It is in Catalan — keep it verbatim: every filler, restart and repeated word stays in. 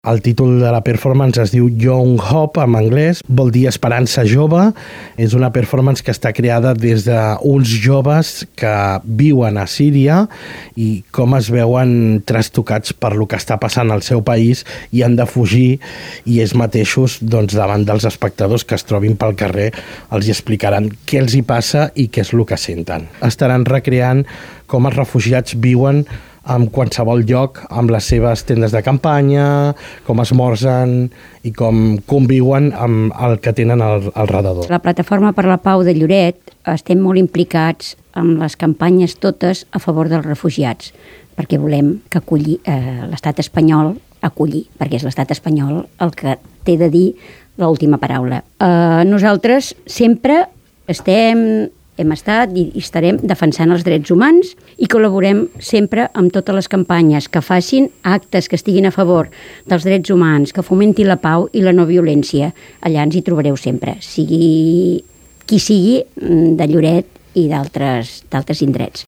El títol de la performance es diu Young Hope, en anglès, vol dir esperança jove. És una performance que està creada des d'uns joves que viuen a Síria i com es veuen trastocats per lo que està passant al seu país i han de fugir, i ells mateixos, doncs, davant dels espectadors que es trobin pel carrer, els explicaran què els hi passa i què és el que senten. Estaran recreant com els refugiats viuen en qualsevol lloc, amb les seves tendes de campanya, com esmorzen i com conviuen amb el que tenen al, al redador. La Plataforma per la Pau de Lloret estem molt implicats en les campanyes totes a favor dels refugiats, perquè volem que acolli, eh, l'estat espanyol acollir, perquè és l'estat espanyol el que té de dir l'última paraula. Eh, nosaltres sempre estem... hem estat i estarem defensant els drets humans i col·laborem sempre amb totes les campanyes que facin actes que estiguin a favor dels drets humans, que fomentin la pau i la no violència. Allà ens hi trobareu sempre, sigui qui sigui de Lloret i d'altres indrets.